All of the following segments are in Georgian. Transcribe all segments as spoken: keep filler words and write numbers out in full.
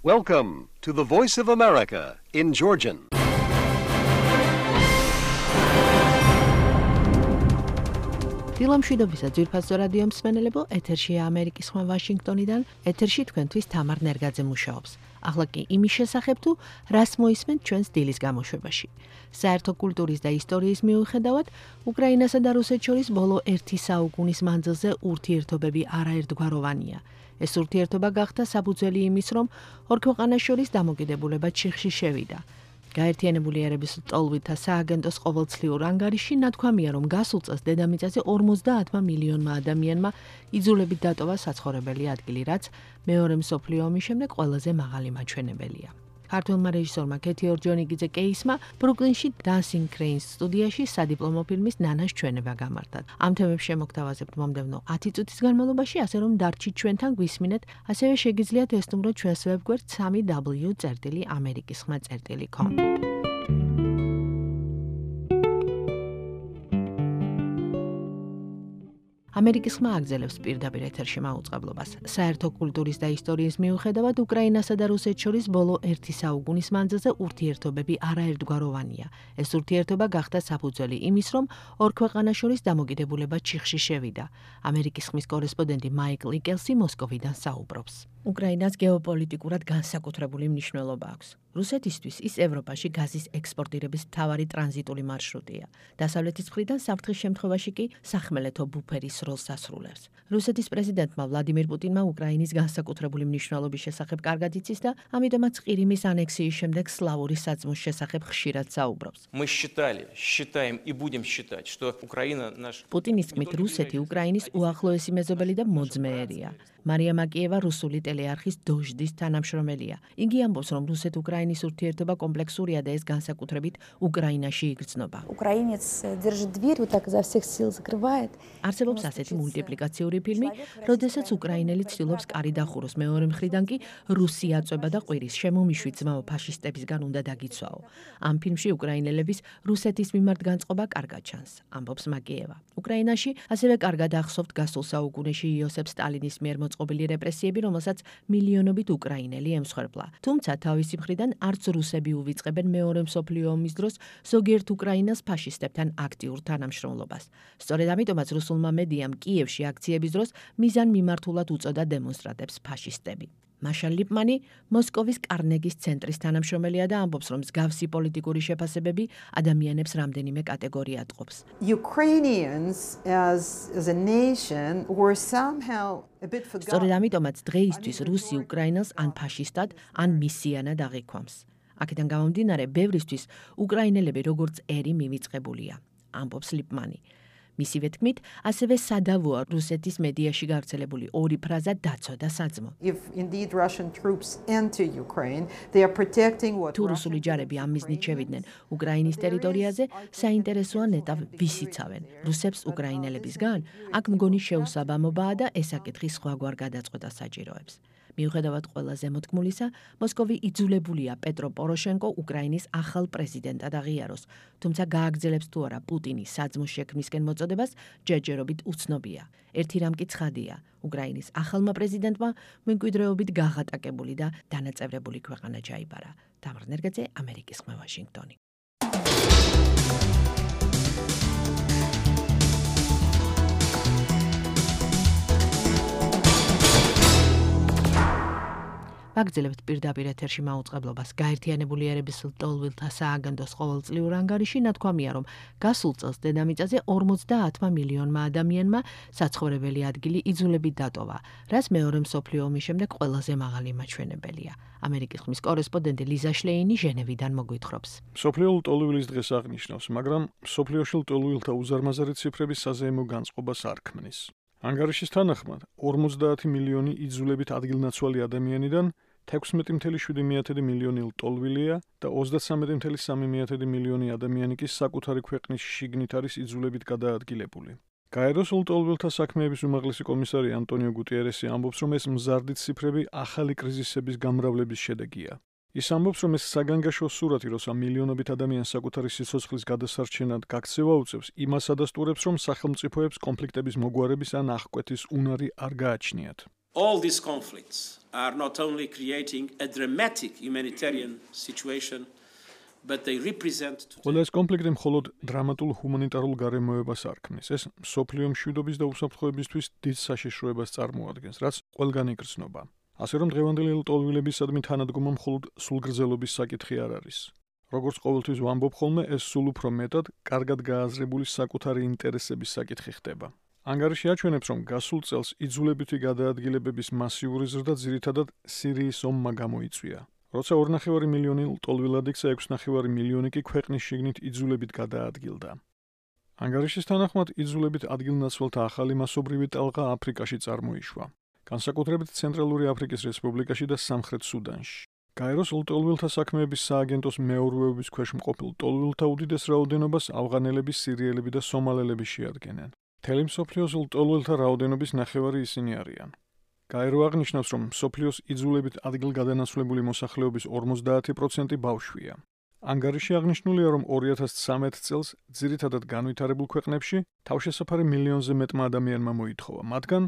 Welcome to the Voice of America in Georgian. დილამშვიდობისა ძვირფასო რადიო მსმენელებო, ეთერშია ამერიკის ხმა ვაშინგტონიდან, ეთერში თქვენთვის თამარ ნერგაძე მუშაობს. ახლა კი იმის შესახებ თუ რას მოისმენთ ჩვენს დილის გამოშვებაში. საერთო კულტურის და ისტორიის მიუხედავად, უკრაინასა და რუსეთს შორის ბოლო ერთი საუკუნის მანძილზე ურთიერთობები არაერთგვაროვანია. ეს ურთიერთობა გახდა საფუძველი იმის, რომ ორ ქვეყანას შორის დამოკიდებულება ჩიხში შევიდა. გაერთიანებული ერების ლტოლვით და სააგენტოს ყოველწლიურ ანგარიშში ნათქვამია, რომ გასულ წელს დედამიწაზე ორმოცდაათმა მილიონმა ადამიანმა იძულებით დატოვა საცხოვრებელი ადგილი, რაც მეორე მსოფლიო ომის შემდეგ ყველაზე მაღალი მაჩვენებელია. ქართველმა რეჟისორმა კეთი ორჯონიკიძე კეისმა ბრუკლინში Dancing Cranes სტუდიაში სადიპლომო ფილმის ნანას ჩვენება გამართა. ამ თემებს შემოგთავაზებთ მომდევნო ათი წუთის განმავლობაში, ასე რომ დარჩით ჩვენთან გვისმინეთ, ასევე შეგიძლიათ ესტუმროთ ჩვენს ვებგვერდ სამი დაბლიუ წერტილი ამერიკის ხმა წერტილი com. ამერიკის ხმა აგზელებს პირდაპირ ეთერში მაუწყებლობას. საერთო კულტურის და ისტორიის მიუხედავად, უკრაინასა და რუსეთს შორის ბოლო ერთი საუკუნის მანძილზე ურთიერთობები არაერთგვაროვანია. ეს ურთიერთობა გახდა საფუძველი იმის, რომ ორ ქვეყანას შორის დამოკიდებულება ჩიხში შევიდა. ამერიკის ხმის კორესპონდენტი მაიკლ იკელსი მოსკოვიდან საუბრობს. უკრაინას გეოპოლიტიკურად განსაკუთრებული მნიშვნელობა აქვს. რუსეთისთვის ის ევროპაში გაზის ექსპორტირების მთავარი ტრანზიტული მარშრუტია. დასავლეთის მხრიდან საფრთხის შემთხვევაში კი სახმელეთო ბუფერის როლს ასრულებს. რუსეთის პრეზიდენტმა ვლადიმირ პუტინმა უკრაინის განსაკუთრებული მნიშვნელობის შესახებ კარგად იცის და ამიტომაც ყირიმის ანექსიის შემდეგ სლავური საძმოს შესახებ ხშირად საუბრობს. Мы считали, считаем и будем считать, что Украина наш პუტინის თქმით, რუსეთი უკრაინის უახლოესი მეზობელი და მოძმეერია. მარია მაკიევა რუსული ტელეარხის დოჟდის თანამშრომელია. იგი ამბობს, რომ რუსეთ-უკრაინის ურთიერთობა კომპლექსურია და ეს განსაკუთრებით უკრაინაში იგრძნობა. Украинец держит дверь, вот так изо всех сил закрывает. არსებობს ასეთი მულტიპლიკაციური ფილმი, როდესაც უკრაინელი ცდილობს კარი დახუროს, მეორე მხრიდან კი რუსი აწვება და ყვირის შემომიშვი ძმაო ფაშისტებისგან უნდა დაგიცვაო. ამ ფილმში უკრაინელების რუსეთის მიმართ განწყობა კარგად ჩანს, ამბობს მაკიევა. უკრაინაში ასევე კარგად ახსოვთ გასულ საუკუნეში იოსებ სტალინის მიერ მოწყობილი რეპრესიები, რომელსაც მილიონობით უკრაინელი ემსხვერპლა. თუმცა თავისი მხრიდან არც რუსები უვიწყებენ მეორე მსოფლიო ომის დროს ზოგიერთ უკრაინას ფაშისტებთან აქტიურ თანამშრომლობას. სწორედ ამიტომაც რუსულმა მედიამ კიევში აქციების დროს მიზან მიმართულად უწოდა დემონსტრანტებს ფაშისტები. მაშა ლიპმანი მოსკოვის კარნეგის ცენტრის თანამშრომელია და ამბობს, რომ მსგავსი პოლიტიკური შეფასებები ადამიანებს რამდენიმე კატეგორიად ყოფს. Ukrainians as as a nation were somehow a bit forgotten. სწორედ ამიტომაც დღეისთვის რუსი უკრაინას ან ფაშისტად, ან მისიანად აღიქვამს. აქედან გამომდინარე, ბევრისთვის უკრაინელები როგორც ერი მივიწყებულია, ამბობს ლიპმანი. მისივე თქმით, ასევე სადავოა რუსეთის მედიაში გავრცელებული ორი ფრაზა დაცვა და საძმო. If indeed Russian troops enter Ukraine, they are protecting what თუ რუსული ჯარები ამ მიზნით შევიდნენ უკრაინის ტერიტორიაზე, საინტერესოა ნეტავ ვის იცავენ, რუსებს უკრაინელებისგან? აქ მგონი შეუსაბამობაა და ეს საკითხი სხვაგვარ გადაწყვეტას საჭიროებს. მიუხედავად ყველა ზემოთქმულისა, მოსკოვი იძულებულია პეტრო პოროშენკო უკრაინის ახალ პრეზიდენტად აღიაროს, თუმცა გააგრძელებს თუ არა პუტინის საძმოს შექმნისკენ მოწოდებას, ჯერჯერობით უცნობია. ერთი რამ კი ცხადია, უკრაინის ახალმა პრეზიდენტმა მემკვიდრეობით გაღატაკებული და დანაწევრებული ქვეყანა ჩაიბარა. თამარ ნერგაძე, ამერიკის ხმა ვაშინგტონი. ვაგრძელებთ პირდაპირ ეთერში მაუწყებლობას. გაერთიანებული ერების ლტოლვილთა სააგენტოს ყოველწლიურ ანგარიში ნათქვამია, რომ გასულ წელს დედამიწაზე ორმოცდაათმა მილიონმა ადამიანმა საცხოვრებელი ადგილი იძულებით დატოვა, რაც მეორე მსოფლიო ომის შემდეგ ყველაზე მაღალი მაჩვენებელია. ამერიკის ხმის კორესპონდენტი ლიზა შლეინი ჟენევიდან მოგვითხრობს. მსოფლიო ლტოლვილის დღეს აღნიშნავს, მაგრამ მსოფლიოში ლტოლვილთა უზარმაზარი ციფრები საზეიმო განწყობას არ ქმნის. ანგარიშის თანახმად, ორმოცდაათი მილიონი იძულებით ადგილნაცვალი ადამიანიდან თექვსმეტი წუთი შვიდი მილიონი ლტოლვილია და ოცდასამი წუთი სამი მილიონი ადამიანი კი საკუთარი ქვეყნის შიგნით არის იძულებით გადაადგილებული. გაეროს ლტოლვილთა საქმეების უმაღლესი კომისარი ანტონიო გუტიერესი ამბობს, რომ ეს მზარდი ციფრები ახალი კრიზისების გამრავლების შედეგია. ის ამბობს, რომ ეს საგანგაშო სურათი, როცა მილიონობით ადამიანს საკუთარი სიცოცხლის გადასარჩენად გაქცევა უწევს, იმას ადასტურებს, რომ სახელმწიფოებს კონფლიქტების მოგვარების ან აღკვეთის უნარი არ გააჩნიათ. All these conflicts are not only creating a dramatic humanitarian situation, but they represent ყველა ეს კონფლიქტი მხოლოდ დრამატულ ჰუმანიტარულ გარემოებას არ ქმნის. ეს მსოფლიო მშვიდობის და უსაფრთხოებისთვის დიდ საშიშროებას წარმოადგენს, რაც ყველგან იგრძნობა. ასე რომ დღევანდელი ლტოლვილებისადმი თანადგომა მხოლოდ სულგრძელობის საკითხი არ არის. როგორც ყოველთვის ვამბობ ხოლმე, ეს სულ უფრო მეტად კარგად გააზრებული საკუთარი ინტერესების საკითხი ხდება. ანგარიში აჩვენებს, რომ გასულ წელს იძულებითი გადაადგილებების მასიური ზრდა ძირითადად სირიის ომმა გამოიწვია. როცა ორი და ნახევარი მილიონი ლტოლვილად იქცა, ექვსი და ნახევარი მილიონი კი ქვეყნის შიგნით იძულებით გადაადგილდა. ანგარიშის თანახმად, იძულებით ადგილნაცვალთა ახალი მასობრივი ტალღა აფრიკაში წარმოიშვა. განსაკუთრებით ცენტრალური აფრიკის რესპუბლიკაში და სამხრეთ სუდანში. გაეროს ლტოლვილთა საქმეების სააგენტოს მეურვეობის ქვეშ მყოფილ ლტოლვილთა უდიდეს რაოდენობას ავღანელები, სირიელები და სომალელები შეადგენენ. მთელი მსოფლიოს ლტოლვილთა რაოდენობის ნახევარი ისინი არიან. გაერო აღნიშნავს, რომ მსოფლიოს იძულებით ადგილგადანაცვლებული მოსახლეობის ორმოცდაათი პროცენტი ბავშვია. ანგარიში აღნიშნულია, რომ ორი ათას ცხრამეტ წელს ძირითადად განვითარებულ ქვეყნებში თავშესაფარი მილიონზე მეტმა ადამიანმა მოითხოვა, მათგან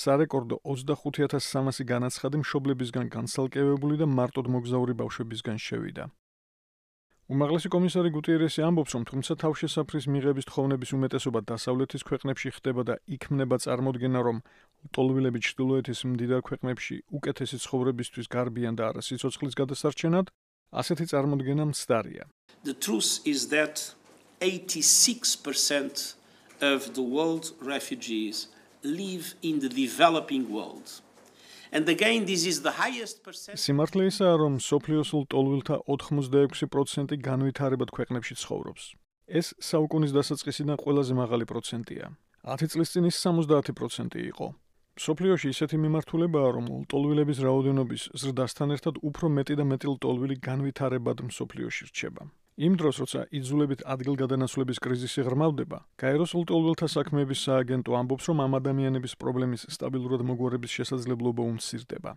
სარეკორდო ოცდახუთი ათას სამასი განაცხადი მშობლებისგან განცალკევებული და მარტოდ მოგზაური ბავშვებისგან შევიდა. უმაღლესი კომისარი გუტიერესი ამბობს, რომ თუმცა თავშესაფრის მიღების თხოვნების უმეტესობა დასავლეთის ქვეყნებში ხდება და იქმნება წარმოდგენა, რომ ლტოლვილები ჩრდილოეთის მდიდარ ქვეყნებში უკეთესი ცხოვრებისთვის გარბიან და არა სიცოცხლის გადასარჩენად, ასეთი წარმოდგენა მცდარია. The truth is that eighty-six percent of the world refugees live in the developing world. And again, this is the highest percentage. სიმართლე ისაა, რომ მსოფლიოს ლტოლვილთა ოთხმოცდაექვსი პროცენტი განვითარებად ქვეყნებში ცხოვრობს. ეს საუკუნის დასაწყისიდან ყველაზე მაღალი პროცენტია. ათი წლის წინ ის სამოცდაათი პროცენტი იყო. მსოფლიოში ისეთი მიმართულებაა, რომ ლტოლვილების რაოდენობის ზრდასთან ერთად უფრო მეტი და მეტი ლტოლვილი განვითარებად მსოფლიოში რჩება. იმ დროს, როცა იძულებით ადგილგადანაცვლების კრიზისი ღრმავდება, გაეროს ლტოლვილთა საქმეების სააგენტო ამბობს, რომ ამ ადამიანების პრობლემის სტაბილურად მოგვარების შესაძლებლობა უმცირდება.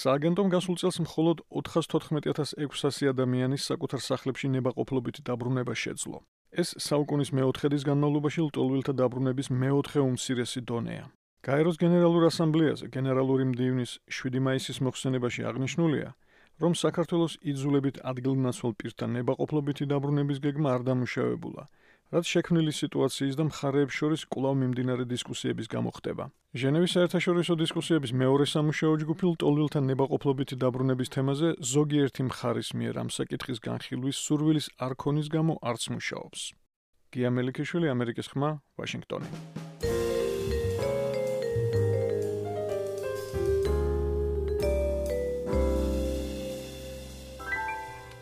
სააგენტომ გასულ წელს მხოლოდ ოთხას თოთხმეტი ათას ექვსასი ადამიანის საკუთარ სახლებში ნებაყოფლობით დაბრუნება შეძლო. ეს საუკუნის მეოთხედის განმავლობაში ლტოლვილთა დაბრუნების მეოთხე უმცირესი დონეა. გაეროს გენერალურ ასამბლეაზე გენერალური მდივნის შვიდი მაისის მოხსენებაში აღნიშნულია, რომ საქართველოს იძულებით ადგილნაცვალ პირთა ნებაყოფლობითი დაბრუნების გეგმა არ დამუშავებულა, რაც შექმნილი სიტუაციის და მხარეებს შორის კვლავ მიმდინარე დისკუსიების გამო ხდება. ჟენევის საერთაშორისო დისკუსიების მეორე სამუშაო ჯგუფი ლტოლვილთა ნებაყოფლობითი დაბრუნების თემაზე ზოგიერთი მხარის მიერ ამ საკითხის განხილვის სურვილის არ ქონის გამო არც მუშაობს. გია მელიქიშვილი, ამერიკის ხმა, ვაშინგტონი.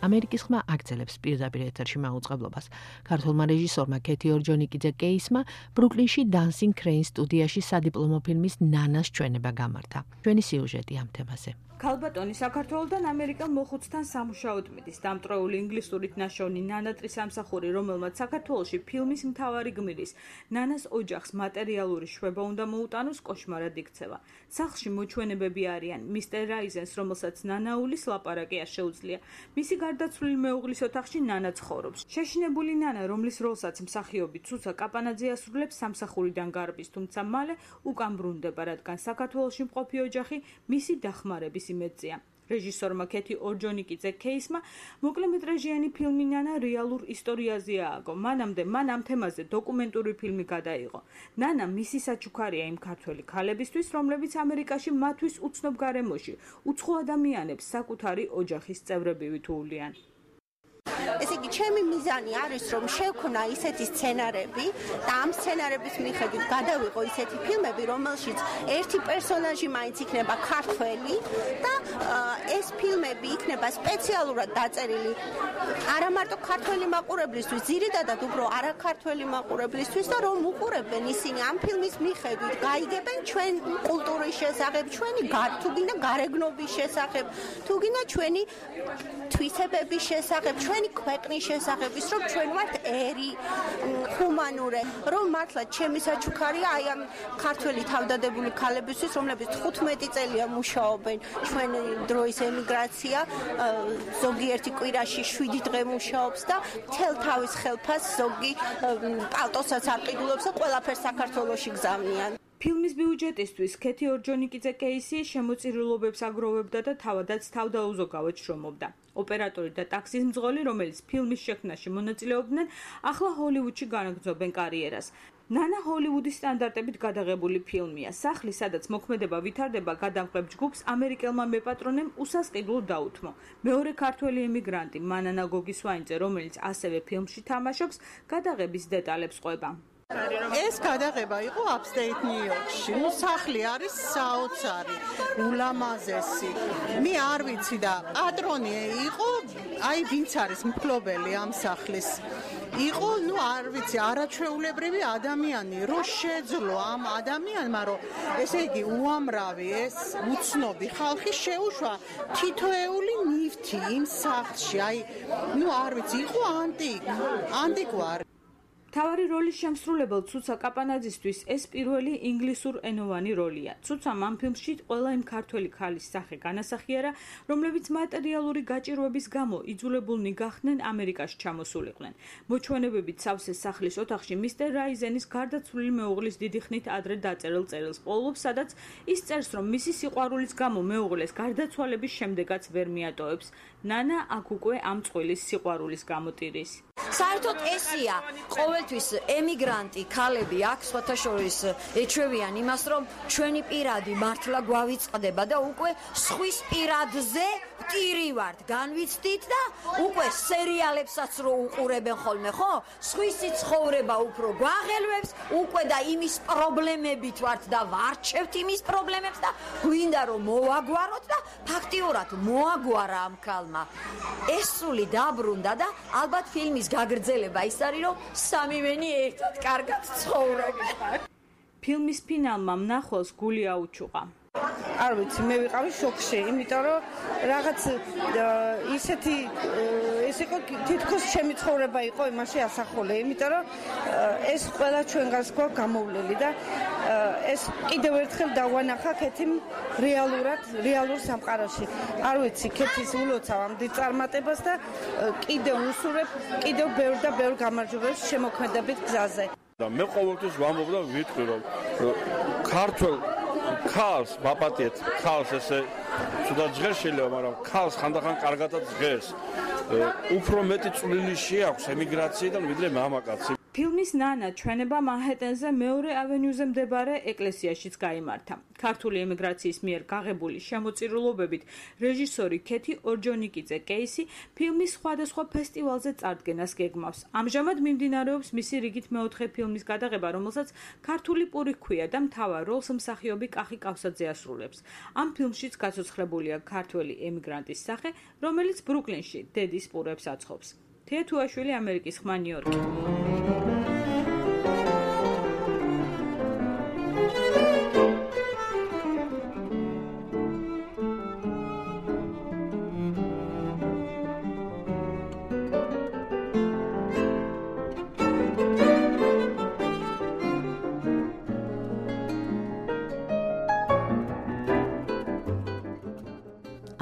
ამერიკის ხმა აგრძელებს პირდაპირ ეთერში მაუწყებლობას. ქართულმა რეჟისორმა კეთი ორჯონიკიძე კეისმა ბრუკლინში Dancing Crane სტუდიაში სადიპლომო ფილმის ნანას ჩვენება გამართა. ჩვენი სიუჟეტი ამ თემაზე. ქალბატონი საქართველოსთან ამერიკელ მოხუცთან სამუშაოდ მიდის. დამტვრეული ინგლისურით ნაშოვნი ნანატრის სამსახური, რომელმაც საქართველოში ფილმის მთავარი გმირის ნანას ოჯახს მატერიალური შვება უნდა მოუტანოს, კოშმარად იქცევა. სახლში მოჩვენებები არიან მისტერ რაიზენს, რომელსაც ნანაულის ლაპარაკი არ შეუძლია. მისი გარდაცვლილი მეუღლის ოთახში ნანა ცხოვრობს. შეშინებული ნანა, რომლის როლსაც მსახიობი ცუცა კაპანაძე ასრულებს, სამსახურიდან გარბის, თუმცა მალე უკან ბრუნდება, რადგან საქართველოში მყოფი ოჯახი მისი დახმარების იმედზეა. რეჟისორმა კეთი ორჯონიკიძე კეისმა მოკლემეტრაჟიანი ფილმი ნანა რეალურ ისტორიაზე ააგო. მანამდე მან ამ თემაზე დოკუმენტური ფილმი გადაიღო. ნანა მისი საჩუქარია იმ ქართველი ქალებისთვის, რომლებიც ამერიკაში მათთვის უცნობ გარემოში უცხო ადამიანებს საკუთარი ოჯახის წევრები თვლიან. ესე იგი, ჩემი მიზანი არის, რომ შევქნა ისეთი სცენარები და ამ სცენარების მიხედვით გადავიღო ისეთი ფილმები, რომელშიც ერთი პერსონაჟი მაინც იქნება ქართველი და ეს ფილმები იქნება სპეციალურად დაწერილი არა მარტო ქართველი მაყურებლისთვის, ძირითადად უფრო არაქართველი მაყურებლისთვის და რომ უყურებენ ისინი ამ ფილმის მიხედვით, გაიგებენ ჩვენ კულტურის შესახებ, ჩვენი თუ გინდა გარეგნობის შესახებ, თუ გინდა ჩვენი თვისებების შესახებ, ჩვენი ქვეყნის შესახებ, ის რომ ჩვენ ვართ ერი, ჰუმანური, რომ მართლა ჩემი საჩუქარია აი ამ ქართველი თავდადებული ქალებისთვის, რომლებიც თხუთმეტი წელია მუშაობენ ჩვენ დროის ემიგრაცია, ზოგიერთი კვირაში შვიდი დღე მუშაობს და თელ თავის ხელფას ზოგი პალტოსაც არ ყიდულობს და ყველაფერს საქართველოში გზავნიან. ფილმის ბიუჯეტისთვის ქეთი ორჯონიკიძე კეისი შემოწირულობებს აგროვებდა და თავადაც თავდაუზოგავად შრომობდა. ოპერატორი და ტაქსის მძღოლი, რომელიც ფილმის შექმნაში მონაწილეობდნენ, ახლა ჰოლივუდში განაგრძობენ კარიერას. ნანა ჰოლივუდის სტანდარტებით გადაღებული ფილმია. სახლი, სადაც მოქმედება ვითარდება, გადამღებ ჯგუფს ამერიკელმა მეპატრონემ უსასყიდლოდ დაუთმო. მეორე ქართველი ემიგრანტი მანანა გოგისვაინძე, რომელიც ასევე ფილმში თამაშობს, გადაღების დეტალებს ყვება. ეს გადაღება იყო upstate New York-ში. ნუ სახლი არის საოცარი, ულამაზესი. მე არ ვიცი და პატრონი იყო, აი ვინც არის მფლობელი ამ სახლის. იყო, ნუ არ ვიცი, არაჩვეულებრივი ადამიანი, რო შეძლო ამ ადამიანმა, რომ ესე იგი უამრავი ეს უცნობი ხალხი შეუშვა თითოეული ნივთი იმ სახლში. აი, ნუ არ ვიცი, იყო ანტიკ, ანტიკვარი. თავარი როლის შემსრულებელ ცუცა კაპანაძისთვის ეს პირველი ინგლისურენოვანი როლია. ცუცამ ამ ფილმში ყველა იმ ქართველი ქალის სახე განასახიერა, რომლებიც მატერიალური გაჭირვების გამო იძულებულნი გახდნენ ამერიკაში ჩამოსულიყვნენ. მოჩვენებებით სავსე სახლის ოთახში მისტერ რაიზენის გარდაცვლილი მეუღლის დიდი ხნით ადრე დაწერილ წერილს პოულობს, სადაც ის წერს, რომ მისი სიყვარულის გამო მეუღლეს გარდაცვალების შემდეგაც ვერ მიატოვებს. ნანა აქ უკვე ამ წყვილის სიყვარულის გამოტირის. საერთოდ ესია ყოველთვის ემიგრანტი ქალები აქ სხვათა შორის ეჩვევიან იმას, რომ ჩვენი პირადი მართლა გვავიწყდება და უკვე სხვის პირადზე ვტირივართ, განვიცდით და უკვე სერიალებსაც რო უყურებენ ხოლმე, ხო? სხვისი ცხოვრება უფრო გვაღელვებს, უკვე და იმის პრობლემებით ვართ და ვარჩევთ იმის პრობლემებს და გვინდა რომ მოვაგვაროთ და ფაქტიურად მოაგვარა ამ ქალმა. ეს სული დაბრუნდა და ალბათ ფილმის გაგრძელება ის არის, რომ სამივენი ერთად კარგად ცხოვრობენ. ფილმის ფინალმა მნახველს გული აუჩუყა. არ ვიცი, მე ვიყავი შოკში, იმიტომ რომ რაღაც ისეთი ეს იყო თითქოს ჩემი ცხოვრება იყო იმაში ასახული, იმიტომ რომ ეს ყველა ჩვენგანს გვაქვს გამოვლელი და ეს კიდევ ერთხელ დავანახა ქეთიმ რეალურად, რეალურ სამყაროში. არ ვიცი, ქეთის ულოცავ ამ დიდ წარმატებას და კიდევ უსურებ, კიდევ ბევრ და ბევრ გამარჯვებებს შემოქმედებით გზაზე. და მე ყოველთვის ვამბობ და ვიტყვი, რომ ქართულ ქალს ვაპატიეთ, ქალს ესე ცუდად ჟღერს შეიძლება, მაგრამ ქალს ხანდახან კარგადაც ჟღერს. უფრო მეტი წვლილი შეაქვს ემიგრაციიდან ვიდრე მამაკაცი. ფილმის ნანა ჩვენება მანჰეტენზე მეორე ავენიუზე მდებარე ეკლესიაშიც გაიმართა. ქართული ემიგრაციის მიერ გაღებული შემოწირულობებით რეჟისორი ქეთი ორჯონიკიძე კეისი ფილმის სხვადასხვა ფესტივალზე წარდგენას გეგმავს. ამჟამად მიმდინარეობს მისი რიგით მეოთხე ფილმის გადაღება, რომელსაც ქართული პური ჰქვია და მთავარ როლს მსახიობი კახი კავსაძე ასრულებს. ამ ფილმშიც გაცოცხლებულია ქართველი ემიგრანტის სახე, რომელიც ბრუკლინში დედის პურებს აცხობს. თეა თუაშვილი, ამერიკის ხმა, ნიუ-იორკი.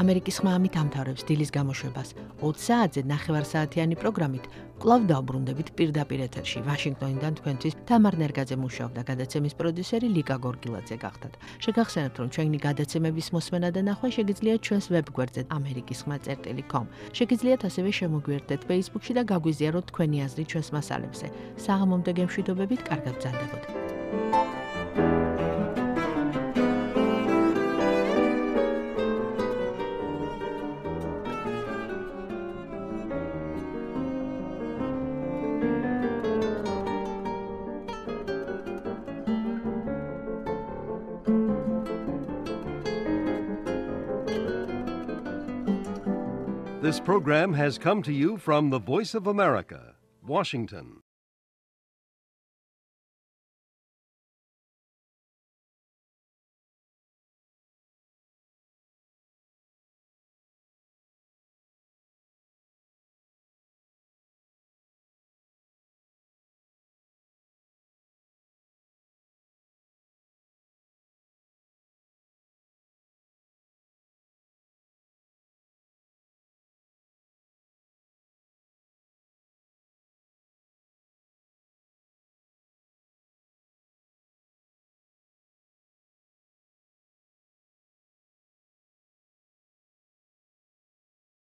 ამერიკის ხმა ამით ამთავრებს დილის გამოშვებას. ოცი საათზე ნახევარსაათიანი პროგრამით კვლავ დავბრუნდებით პირდაპირ ეთერში. ვაშინგტონიდან თქვენთვის თამარ ნერგაძე მუშაობდა, გადაცემის პროდიუსერი ლიკა გორგილაძე გახდათ. შეგახსენებთ, რომ ჩვენი გადაცემების მოსმენა და ნახვა შეგიძლიათ ჩვენს ვებგვერდზე ამერიკის ხმა წერტილი კომ. შეგიძლიათ ასევე შემოგვიერთდეთ Facebook-ში და გაგვიზიაროთ თქვენი აზრი ჩვენს მასალებზე. საღამომდე გემშვიდობებით, კარგად ბრძანდებოდეთ. This program has come to you from the Voice of America, Washington.